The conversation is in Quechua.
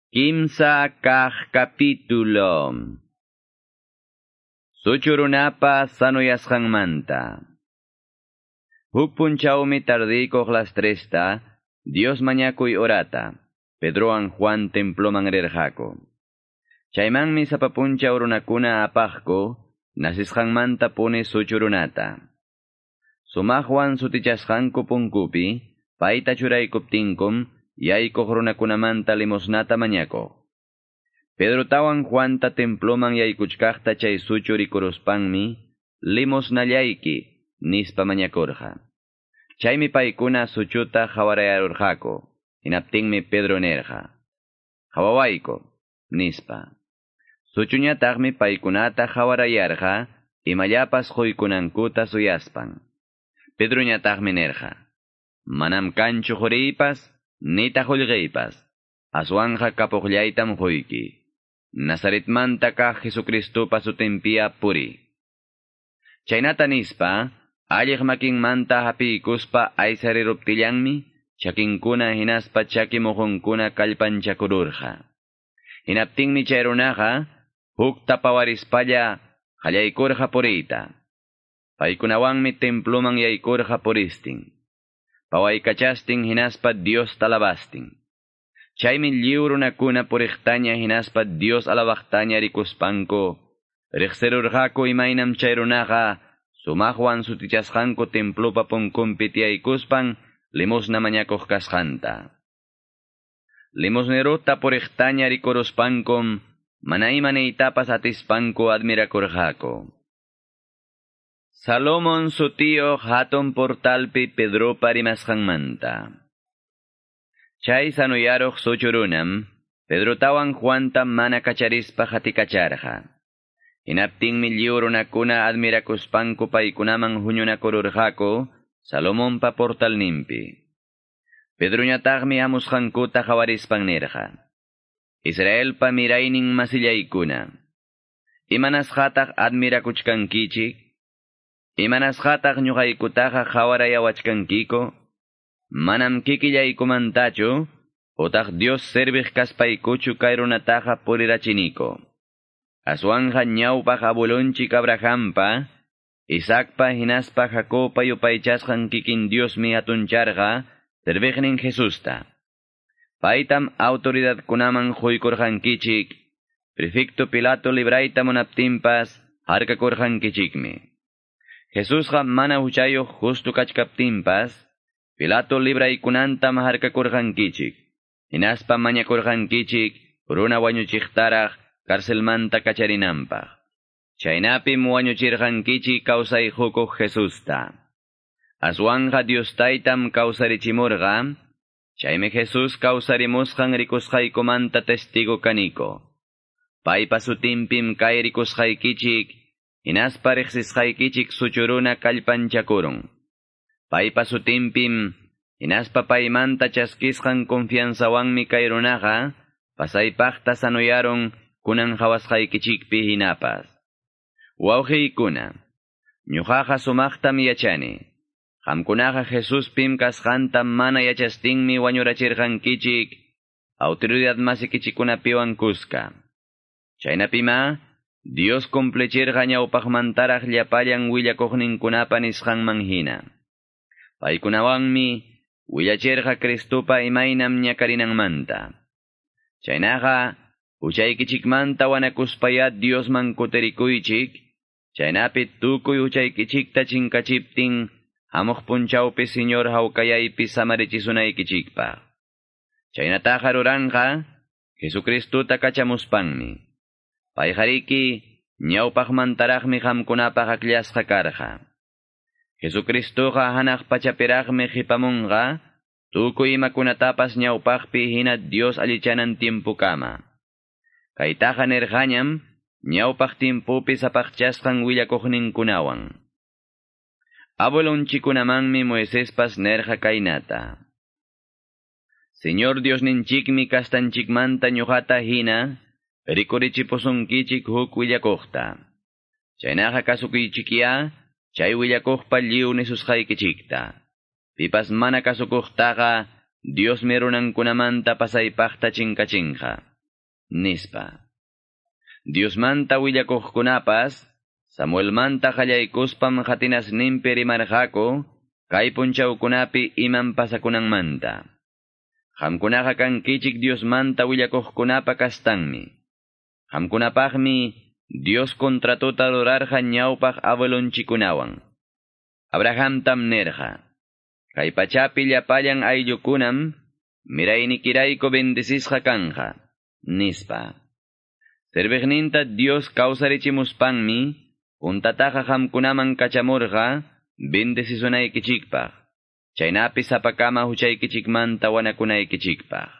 Kimsa kaq capítulo. Suchurunapa sanuyasqanmanta. Huk punchawmi tardiykuq las tresta, Dios mañakuy orata, Pedrowan Juan temploman rirqaku. Chaymanmi sapa punchaw runakuna apaqku, nasisqanmanta puni suchurunata. Sumaqwan sutichasqanku punkupi, payta churaykuptinkum, yaykuq runakunamanta limosnata mañakuq. Pedrotawan Juanta temploman yaykuchkaqta chay suchu rikuruspanmi, limosnallayki, nispa mañakurqa. Chaymi paykuna suchuta hawarayarurqaku, hinaptinmi Pedro nirqa: "Hawawayku", nispa. Suchuñataqmi paykunata hawarayarqa, imallapas quykunankuta suyaspan. Pedroñataqmi nirqa: "Manam kanchu quriypas, nitaq qullqiypas, aswanqa kapuqllaytam quyki. Nazaretmanta kaq Jesucristopa sutinpiya puri." Chaynata nispa, alliq makinmanta hapiykuspa aysariruptillanmi, chakinkuna hinaspa chaki muhunkuna kallpanchakururqa. Hinaptinmi chay runaqa hukta pawarispalla qallaykurqa puriyta. Paykunawanmi temploman yaykurqa puristin. Pawaykachastin hinaspa Dios alabastin. Chaymi lliw runakuna puriqtaña hinaspa Dios alabaqtaña rikuspanku, riqsirurqaku imaynam chay runaqa sumaqwan sutichasqanku templopa punkunpi tiyaykuspan limosna mañakuq kasqanta. Limosneruta puriqtaña rikuruspankum, mana ima niytapas atispanku admirakurqaku. Salomón sutiyuq hatun portalpi Pedropa rimasqanmanta. Chay sanuyaruq suchurunam, Pedrotawan Juanta mana kacharispa hatikacharqa. Hinaptinmi lliw runakuna admirakuspanku paykunaman huñunakururqaku Salomonpa portalninpi. Pedroñataqmi hamusqankuta hawarispan nirqa: "Israelpa miraynin masillaykuna, imanasqataq admirakuchkankichik? Imanasqataq ñuqaykutaqa hawarayawachkankiku? Manam kikillaykumantachu, utaq Dios serviq kaspaykuchu kay runataqa purirachiniku. Aswanja ñawpaq abuelonchik Abrahampa, Isaacpa hinaspa Jacobpa yupaychasqan kikin Diosmi hatuncharqa serviqnin Jesusta. Paytam autoridadkunaman quykurqankichik, prefecto Pilato librayta munaptinpas harkakurqankichikmi. Jesusqa mana huchayuq justo kachkaptinpas, Pilato libraykunantam harkakurqankichik, hinaspa mañakurqankichik runa wañuchiqtaraq carcelmanta kacharinanpaq. Chaynapim wañuchirqankichik kawsay hukuq Jesusta. Aswanja Dios taytam kawsarichimurqa, chaymi Jesús kawsarimusqan rikusqaykumanta testigo kaniko. Paypa sutinpim kay rikusqaykichik, hinaspa riqsisqaykichik suchuruna kallpanchakurun. Paypa sutinpim, hinaspa paymanta chaskisqan confianzawanmi kay runaqa, pasaypaqta sanuyarun kunan hawasqaykichikpi hinapas. Wawqiykuna, ñuqaqa sumaqtam yachani. Qamkunaqa Jesuspim kasqanta mana yachastinmi wañurachirqankichik, autoridad masikichikunapiwan kuska. Chaynapima, Dios cumplichirqa ñawpaqmantaraq llapallan willakuqninkunapa nisqanman hina. Paykunawanmi willachirqa Cristopa imaynam ñakarinanmanta. Chaynaqa, huchaykichikmanta wanakuspaya Diosman kutirikuychik, chaynapi tukuy huchaykichikta chinkachiptin, hamuq punchawpi Señor hawkayaypi samarichisunaykichikpaq. Chaynataqa ruranqa Jesucristota kachamuspanmi. Payqariki ñawpaqmantaraqmi qamkunapaq akllasqa karqa. Jesucristoqa hanaq pachapiraqmi qipamunqa, tukuy imakunatapas ñawpaqpi hina Dios allichanan tiempukama. Kaytaqa nirqañam ñawpaq timpupi sapaqchasqan willakuqninkunawan. Abuelonchikunamanmi Moisespas nirqa kaynata: Señor Diosninchikmi kastanchikmanta ñuqata hina rikurichipusunkichik huk willakuqta. Chaynaqa kasukuychikya chay willakuqpa lliw nisusqaykichikta. Pipas mana kasukuqtaqa Diosmi runankunamanta pasaypaqta chinkachinqa. Nispa. Diosmanta willakuqkunapas, Samuelmanta qallaykuspam qatinasninpi rimarqaku, kay punchawkunapi imam pasakunanmanta. Qamkunaqa kankichik Diosmanta willakuqkunapa kastanmi. Qamkunapaqmi Dios contratota rurarqa ñawpaq abuelonchikunawan. Abrahamtam nerqa. Kay pachapi llapallan ayllukunam miraynikirayku bendecisqa kanja, nispa. Serviqninta Dios kawsarichimuspanmi, puntataqa qamkunaman kachamurqa bendecisunaykichikpaq. Chaynapi sapakama huchaykichikmanta wanakunaykichikpaq.